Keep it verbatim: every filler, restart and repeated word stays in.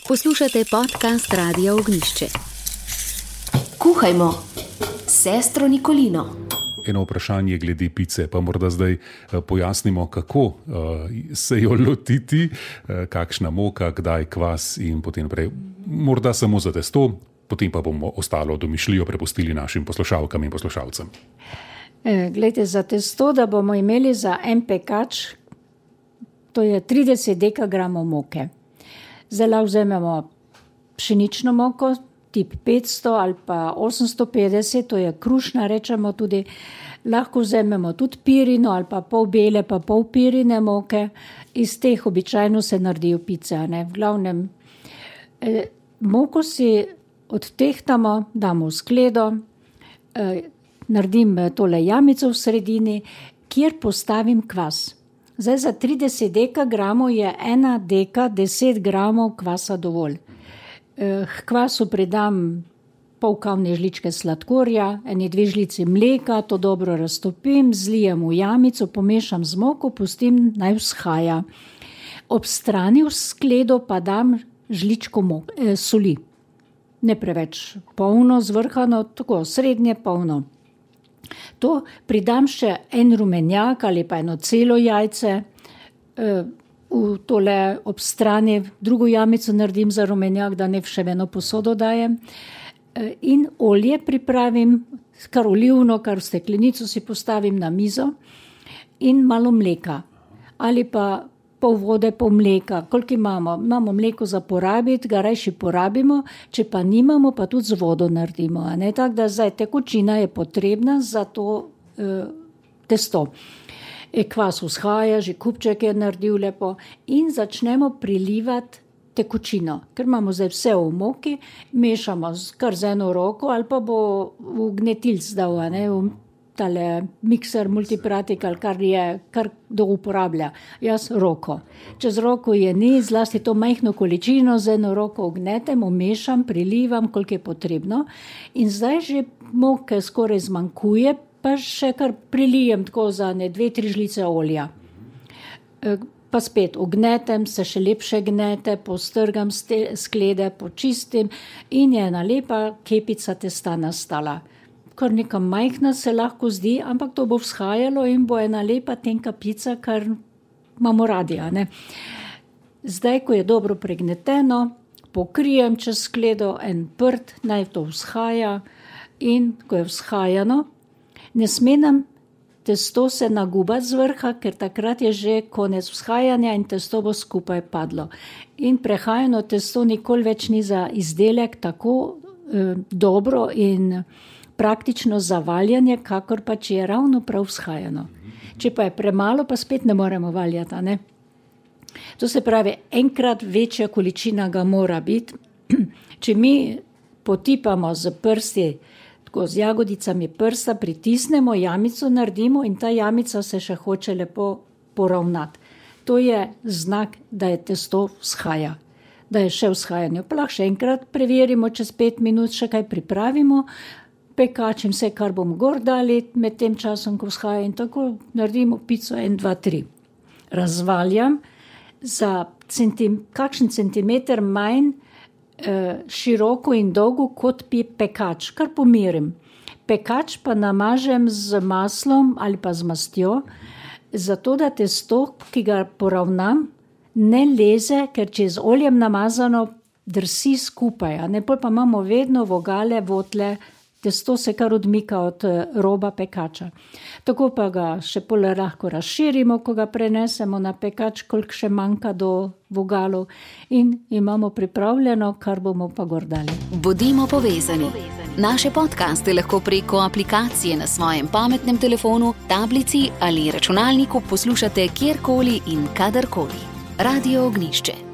Poslušate podcast Radia Ognjišče. Kuhajmo s sestro Nikolino. Eno vprašanje glede pice, pa morda zdaj pojasnimo, kako se jo lotiti, kakšna moka, kdaj kvas in potem prej. Morda samo za testo, potem pa bomo ostalo domišljijo prepustili našim poslušalkam in poslušalcem. Glejte, za testo, da bomo imeli za en pekač, to je trideset dekagramov moke. Zdaj lahko vzamemo pšenično moko, tip petsto ali pa osemsto petdeset, to je krušna, rečemo tudi. Lahko vzamemo tudi pirino ali pa pol bele pa pol pirine moke. Iz teh običajno se naredijo pice, ne? V glavnem, eh, moko si odtehtamo, damo v skledo, eh, naredim tole jamico v sredini, kjer postavim kvas. Zdaj za trideset dekagramov je ena deka deset gramov kvasa dovolj. K kvasu pridam pol kavne žličke sladkorja, ene dve žlici mleka, to dobro raztopim, zlijem v jamico, pomešam z moko, pustim naj vzhaja. Ob strani v skledo pa dam žličko mok, eh, soli. Ne preveč polno, zvrhano, tako srednje polno. To pridam še en rumenjak ali pa eno celo jajce, v tole ob strani drugo jamico naredim za rumenjak, da ne še v eno posodo dajem. In olje pripravim, kar olivno, kar v steklenico si postavim na mizo in malo mleka. Ali pa pol vode, pol mleka, koliko imamo. Imamo mleko za porabiti, ga rajši porabimo, če pa nimamo, pa tudi z vodo naredimo. Tako da zdaj tekočina je potrebna za to eh, testo. E, kvas vzhaja, že kupček je naredil lepo in začnemo prilivati tekočino. Ker imamo zdaj vse v moki, mešamo kar z eno roko ali pa bo v gnetilc dal, ne, v tale mikser, multipratik ali kar je, kar kdo uporablja. Jaz roko. Čez roko je ni, zlasti to majhno količino z eno roko ognetem, umešam, prilivam, koliko je potrebno. In zdaj že moke skoraj zmanjkuje, pa še kar prilijem tako za ne dve, tri žlice olja. Pa spet ognetem, se še lepše gnete, postrgam sklede, počistim in je ena lepa kepica testa nastala. Kar neka majhna se lahko zdi, ampak to bo vzhajalo in bo ena lepa tenka pica, kar imamo radi, ne. Zdaj, ko je dobro pregneteno, pokrijem čez skledo en prt, naj to vzhaja in ko je vzhajano, ne sme nam testo se nagubati z vrha, ker takrat je že konec vzhajanja in testo bo skupaj padlo. In prehajano testo nikoli več ni za izdelek tako eh, dobro in praktično za valjanje, kakor pa če je ravno prav vzhajano. Če pa je premalo, pa spet ne moremo valjati, a ne? To se pravi, enkrat večja količina ga mora biti. Če mi potipamo z prsti, tako z jagodicami prsta, pritisnemo, jamico naredimo in ta jamica se še hoče lepo poravnati. To je znak, da je testo vzhaja, da je še vzhajanje. Pa lahko še enkrat preverimo, čez pet minut še kaj pripravimo, pekačim vse, kar bomo gor dali med tem časom, ko vzhaja in tako naredimo pico en, dva, tri. Razvaljam za centim, kakšen centimeter manj eh, široko in dolgo kot pi pekač, kar pomirim. Pekač pa namažem z maslom ali pa z mastjo, zato da testo, ki ga poravnam, ne leze, ker če je z oljem namazano, drsi skupaj, a ne, pol pa imamo vedno vogale, votle, testo se kar odmika od roba pekača. Tako pa ga še pol lahko razširimo, ko ga prenesemo na pekač, koliko še manjka do vogalov in imamo pripravljeno, kar bomo pa gor dali. Bodimo povezani. Naše podcaste lahko preko aplikacije na svojem pametnem telefonu, tablici ali računalniku poslušate kjerkoli in kadarkoli. Radio Ognjišče.